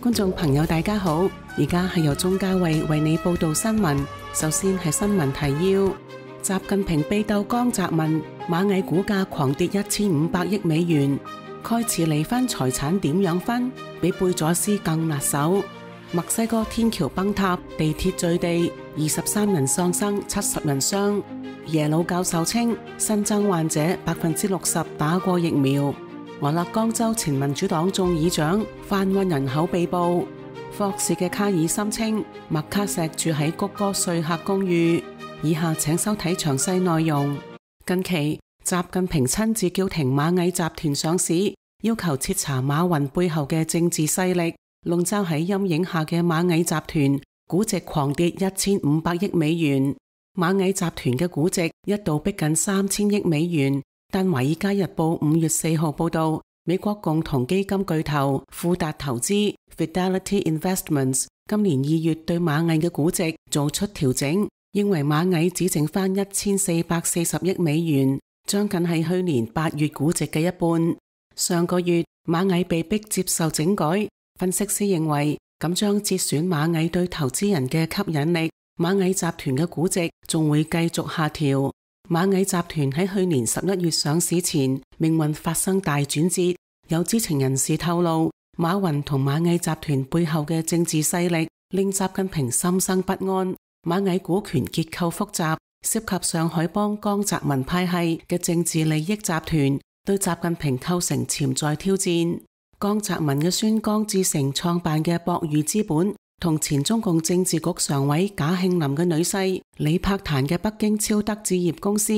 觀眾朋友大家好，而家係由鍾嘉慧為你報道新聞。首先係新聞提要：習近平被鬥江澤民，螞蟻股價狂跌1500億美元。蓋茨離婚財產點樣分？比貝佐斯更辣手。墨西哥天橋崩塌，地鐵墜地，23人喪生，70人傷。耶魯教授稱，新增患者60%打過疫苗。俄勒岡州前民主黨眾議長販運人口被捕。霍士嘅卡爾森稱，麥卡錫住喺谷歌說客公寓。以下請收睇詳細內容。近期，習近平親自叫停螞蟻集團上市，要求徹查馬雲背後嘅政治勢力。籠罩喺陰影下嘅螞蟻集團估值狂跌1500億美元。螞蟻集團嘅估值一度逼近3000億美元。但華爾街日報5月4號報道，美國共同基金巨頭富達投資 Fidelity Investments 今年2月對螞蟻嘅估值做出調整，認為螞蟻只剩翻1440億美元，將近係去年8月估值嘅一半。上個月螞蟻被迫接受整改，分析師認為咁將折損螞蟻對投資人嘅吸引力，螞蟻集團嘅估值仲會繼續下調。螞蟻集團喺去年11月上市前，命運發生大轉折。有知情人士透露，馬雲同螞蟻集團背後嘅政治勢力令習近平心生不安。螞蟻股權結構複雜，涉及上海幫江澤民派系嘅政治利益集團，對習近平構成潛在挑戰。江澤民嘅孫江志成創辦嘅博裕資本，同前中共政治局常委賈慶林嘅女婿李柏壇嘅北京超德置業公司，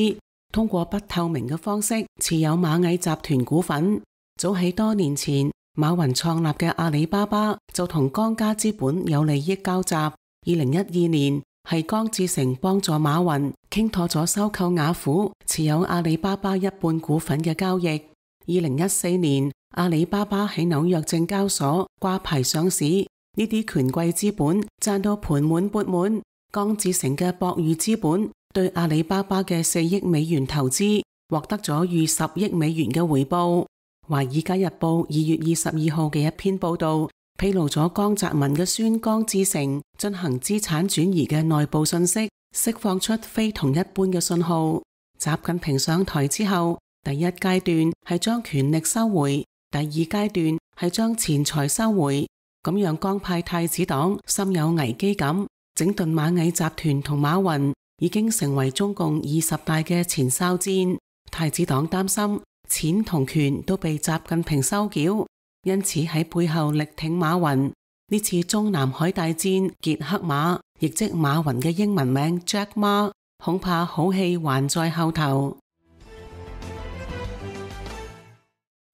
通過不透明嘅方式持有螞蟻集團股份。早喺多年前，馬雲創立嘅阿里巴巴就同江家資本有利益交集。2012年係江志成幫助馬雲傾妥咗收購雅虎、持有阿里巴巴一半股份嘅交易。2014年，阿里巴巴喺紐約證交所掛牌上市。呢啲權貴資本賺到盤滿缽滿，江志成嘅博裕資本對阿里巴巴嘅4億美元投資獲得咗逾10億美元嘅回報。華爾街日報2月22號嘅一篇報道披露咗江澤民嘅孫江志成進行資產轉移嘅內部信息，釋放出非同一般嘅信號。習近平上台之後，第一階段係將權力收回，第二階段係將錢財收回。咁讓江派太子黨深有危機感，整頓螞蟻集團同馬雲已經成為中共20大嘅前哨戰。太子黨擔心錢同權都被習近平收繳，因此喺背後力挺馬雲。呢次中南海大戰傑克馬，亦即馬雲嘅英文名 Jack Ma， 恐怕好戲還在後頭。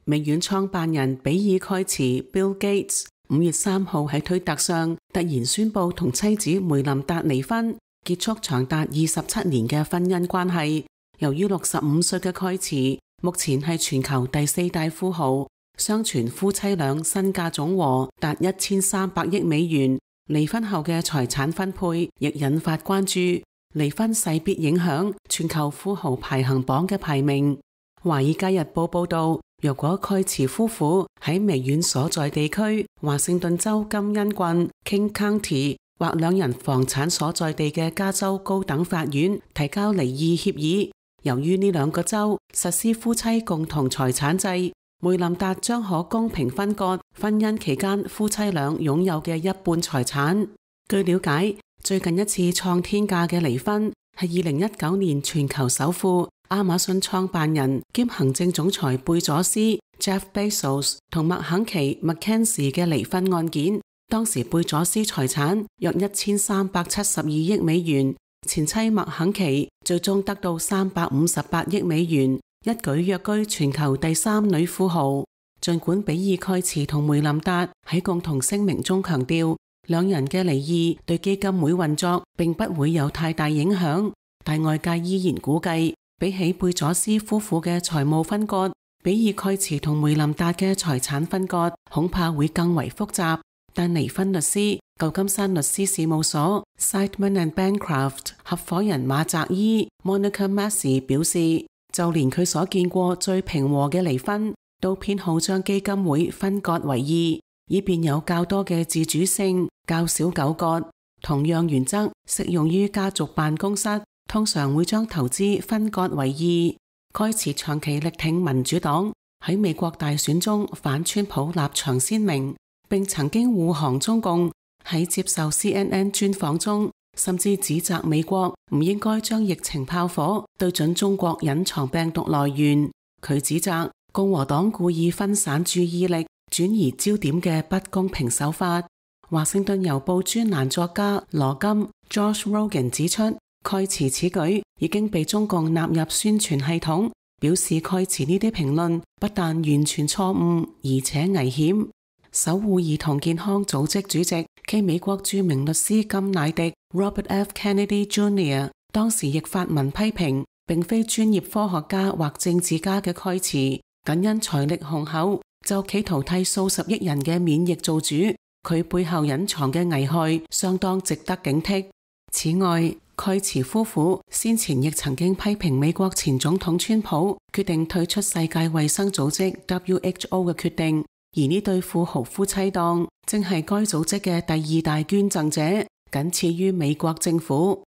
微軟創辦人比爾蓋茨 Bill Gates5月3號喺推特上突然宣布同妻子梅琳達離婚，結束長達27年嘅婚姻關係。由於65歲嘅蓋茨目前係全球第4大富豪，相傳夫妻倆身價總和達1300億美元。離婚後嘅財產分配亦引發關注，離婚勢必影響全球富豪排行榜嘅排名。華爾街日報報道，若果蓋茨夫婦喺微軟所在地區華盛頓州金恩郡 King County 或兩人房產所在地嘅加州高等法院提交離異協議，由於呢兩個州實施夫妻共同財產制，梅琳達將可公平分割婚姻期間夫妻倆擁有嘅一半財產。據了解，最近一次創天價嘅離婚係2019年全球首富亞馬遜創辦人兼行政總裁貝佐斯 Jeff Bezos 同麥肯齊 McKenzie 嘅離婚案件。當時貝佐斯財產約1372億美元，前妻麥肯齊最終得到358億美元，一舉躍居全球第3女富豪。儘管比爾蓋茨同梅琳達喺共同聲明中強調，兩人嘅離異對基金會運作並不會有太大影響，但外界依然估計，比起貝佐斯夫婦嘅財務分割，比爾蓋茨同梅琳達嘅財產分割恐怕會更為複雜。但離婚律師舊金山律師事務所 Seidman and Bancroft 合夥人馬澤伊 Monica Massey 表示，就連佢所見過最平和嘅離婚，都偏好將基金會分割為二。以便有較多嘅自主性，較少糾葛。同樣原則適用於家族辦公室，通常會將投資分割為二。蓋茨長期力挺民主黨，喺美國大選中反川普立場鮮明，並曾經護航中共。喺接受 CNN 專訪中，甚至指責美國唔應該將疫情炮火對準中國隱藏病毒來源。佢指責共和黨故意分散注意力、轉移焦點嘅不公平手法。華盛頓郵報專欄作家羅金 Josh Rogin 指出，蓋茨此舉已經被中共納入宣傳系統，表示蓋茨呢啲評論不但完全錯誤，而且危險。守護兒童健康組織主席暨美國著名律師甘迺迪 Robert F. Kennedy Jr. 當時亦發文批評，並非專業科學家或政治家嘅蓋茨，僅因財力雄厚就企圖替數十億人嘅免疫做主，佢背後隱藏嘅危害相當值得警惕。此外，蓋茨夫婦先前亦曾經批評美國前總統川普決定退出世界衛生組織 WHO 嘅決定，而呢對富豪夫妻檔正係該組織嘅第二大捐贈者，僅次於美國政府。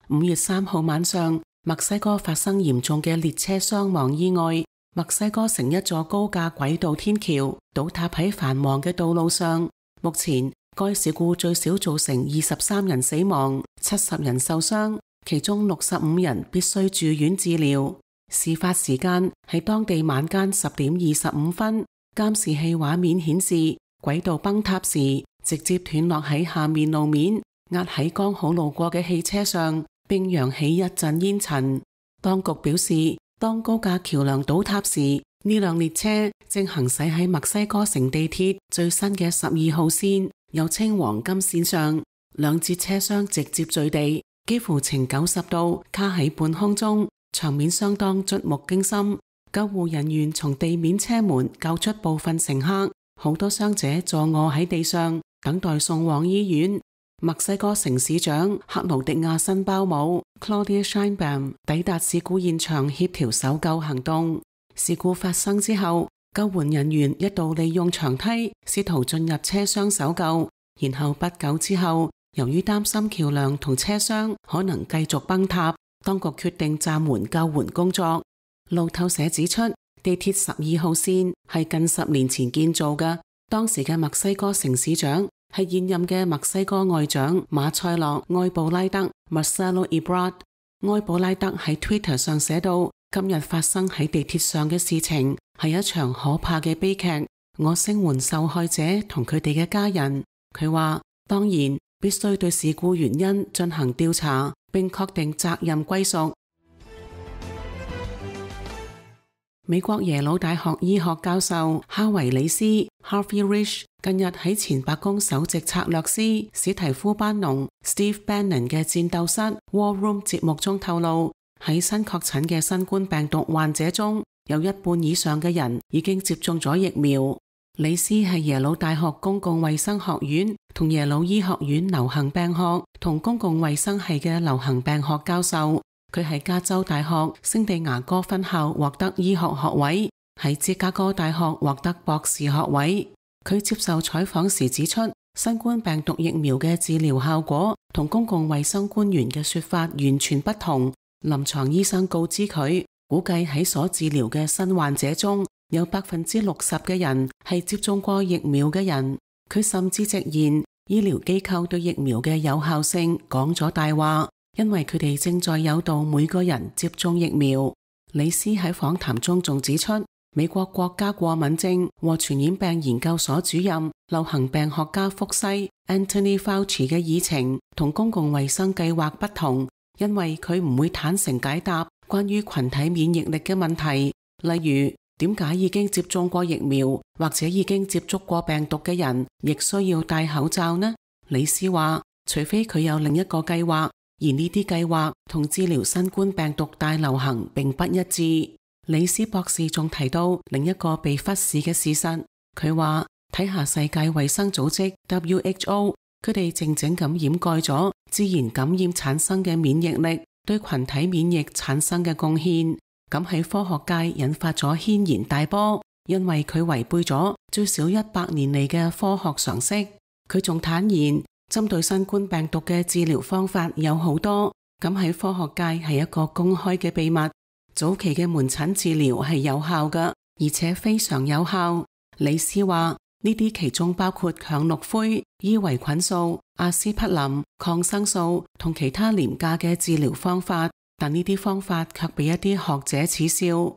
5月3號晚上，墨西哥發生嚴重嘅列車傷亡意外。墨西哥城一座高架軌道天橋倒塌喺繁忙嘅道路上。目前該事故最少造成23人死亡、70人受傷，其中65人必須住院治療。事發時間係當地晚間10點25分。監視器畫面顯示，軌道崩塌時直接斷落喺下面路面，壓喺剛好路過嘅汽車上，並揚起一陣煙塵。當局表示，當高架橋樑倒塌時，呢輛列車正行駛喺墨西哥城地鐵最新嘅12號線，又稱黃金線上，兩節車廂直接墜地，幾乎呈90度卡喺半空中，場面相當觸目驚心。救護人員從地面車門救出部分乘客，好多傷者坐臥喺地上，等待送往醫院。墨西哥城市長克勞迪亞辛鮑姆 Claudia Sheinbaum 抵達事故現場協調搜救行動。事故發生之後，救援人員一度利用長梯試圖進入車廂搜救，然後不久之後，由於擔心橋樑同車廂可能繼續崩塌，當局決定暫緩救援工作。路透社指出，地鐵12號線係近10年前建造嘅，當時嘅墨西哥城市長係現任嘅墨西哥外長馬塞洛埃布拉德 Marcelo Ebrard。埃布拉德喺 Twitter 上寫到，今日發生喺地鐵上嘅事情係一場可怕嘅悲劇，我聲援受害者同佢哋嘅家人。佢話，當然必須對事故原因進行調查，並確定責任歸屬。美國耶魯大學醫學教授哈維里斯 Harvey Risch 近日喺前白宮首席策略師史提夫班農 Steve Bannon 嘅戰鬥室 War Room 節目中透露，喺新確診嘅新冠病毒患者中，有一半以上嘅人已經接種咗疫苗。里斯係耶魯大學公共衛生學院同耶魯醫學院流行病學同公共衛生系嘅流行病學教授。佢喺加州大學聖地牙哥分校獲得醫學學位，喺芝加哥大學獲得博士學位。佢接受採訪時指出，新冠病毒疫苗嘅治療效果同公共衛生官員嘅說法完全不同。臨床醫生告知佢，估計喺所治療嘅新患者中有60%嘅人係接種過疫苗嘅人。佢甚至直言，醫療機構對疫苗嘅有效性講咗大話，因為佢哋正在誘導每個人接種疫苗。李斯喺訪談中仲指出，美國國家過敏症和傳染病研究所主任、流行病學家福西 Anthony Fauci 嘅議程同公共衛生計劃不同，因為佢唔會坦誠解答關於群體免疫力嘅問題，例如點解已經接種過疫苗或者已經接觸過病毒嘅人亦需要戴口罩呢？李斯話，除非佢有另一個計劃，而呢啲計劃同治療新冠病毒大流行並不一致。李斯博士仲提到另一個被忽視嘅事實，佢話睇下世界衛生組織 WHO， 佢哋靜靜咁掩蓋咗自然感染產生嘅免疫力對群體免疫產生嘅貢獻，咁喺科學界引發咗軒然大波。因為佢違背咗最少100年嚟嘅科學常識。佢仲坦言，針對新冠病毒嘅治療方法有好多，咁喺科學界係一個公開嘅秘密。早期嘅門診治療係有效嘅，而且非常有效。李斯話呢啲其中包括羥氯喹、伊維菌素、阿司匹林、抗生素同其他廉價嘅治療方法，但呢啲方法卻被一啲學者恥笑。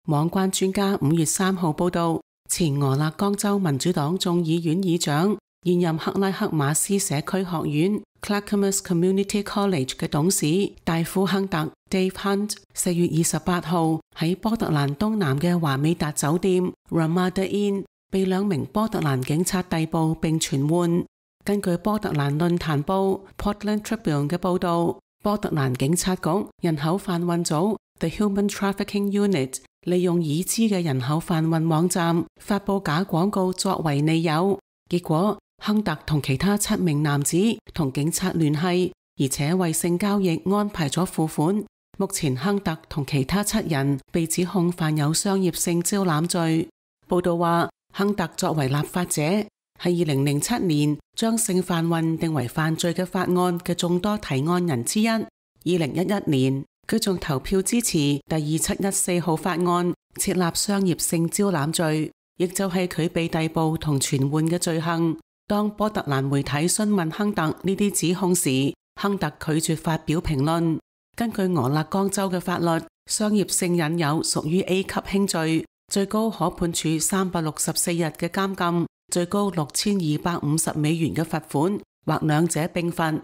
網關專家5月3號報道，前俄勒岡州民主黨眾議院議長、現任克拉克馬斯社區學院 Clackamas Community College 嘅董事戴夫亨特 Dave Hunt 4月28號喺波特蘭東南嘅華美達酒店 Ramada Inn 被2名波特蘭警察逮捕並傳喚。根據波特蘭論壇報 Portland Tribune 嘅報道，波特蘭警察局人口販運組 The Human Trafficking Unit 利用已知嘅人口販運網站發佈假廣告作為理由，結果亨特同其他7名男子同警察聯繫，而且為性交易安排咗付款。目前亨特同其他7人被指控犯有商業性招攬罪。報道話，亨特作為立法者，係2007年將性販運定為犯罪嘅法案嘅眾多提案人之一。2011年，佢仲投票支持第2714號法案，設立商業性招攬罪，亦就係佢被逮捕同傳喚嘅罪行。當波特蘭媒體詢問亨特呢啲指控時，亨特拒絕發表評論。根據俄勒岡州嘅法律，商業性引誘屬於 A 級輕罪，最高可判處364日嘅監禁，最高6250美元嘅罰款，或兩者並罰。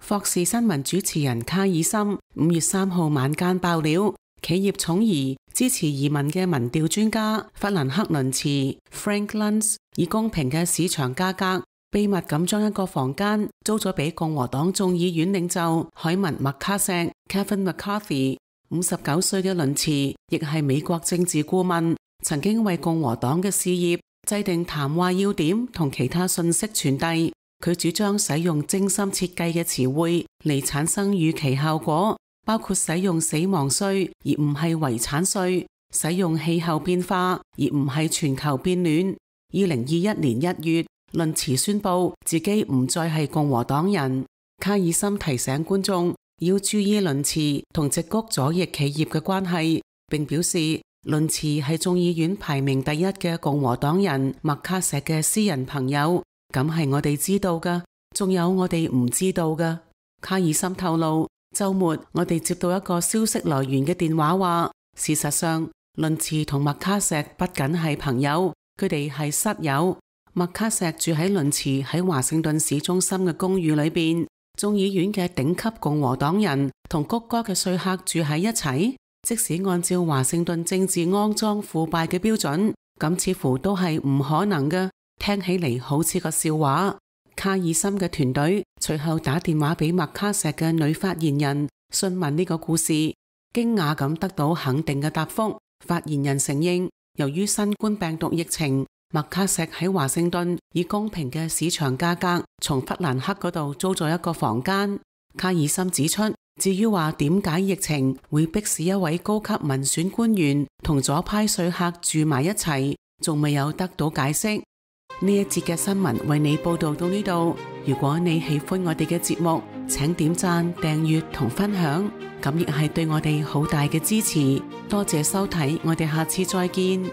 霍士新聞主持人卡爾森5月3號晚間爆料，企業寵兒支持移民嘅民調專家法蘭克倫茨 Frank Luntz 以公平嘅市場價格，秘密咁將一個房間租咗俾共和黨眾議院領袖海文麥卡錫 Kevin McCarthy。59歲嘅倫茨亦係美國政治顧問，曾經為共和黨嘅事業制定談話要點同其他信息傳遞。佢主張使用精心設計嘅詞彙嚟產生預期效果，包括使用死亡稅而唔係遺產稅，使用氣候變化而唔係全球變暖。2021年1月，倫茨宣布自己唔再係共和黨人。卡爾森提醒觀眾要注意倫茨同矽谷左翼企業嘅關係，並表示倫茨係眾議院排名第1嘅共和黨人麥卡錫嘅私人朋友。咁係我哋知道㗎，仲有我哋唔知道㗎。卡爾森透露，週末我哋接到一個消息來源嘅電話話，事實上倫茨同麥卡錫不僅係朋友，佢哋係室友。麥卡錫住喺倫茨喺華盛頓市中心嘅公寓裏邊，眾議院嘅頂級共和黨人同谷歌嘅說客住喺一齊。即使按照華盛頓政治骯髒腐敗嘅標準，咁似乎都係唔可能嘅。聽起嚟好似個笑話。卡爾森嘅團隊隨後打電話俾麥卡錫嘅女發言人，詢問呢個故事，驚訝咁得到肯定嘅答覆。發言人承認，由於新冠病毒疫情，麥卡錫喺華盛頓以公平嘅市場價格從弗蘭克嗰度租咗一個房間。卡爾森指出，至於話點解疫情會迫使一位高級民選官員同左派說客住埋一齊，仲未有得到解釋。呢一節嘅新聞為你報道到呢度。如果你喜歡我哋嘅節目，請點讚、訂閱同分享，咁亦係對我哋好大嘅支持。多謝收睇，我哋下次再見。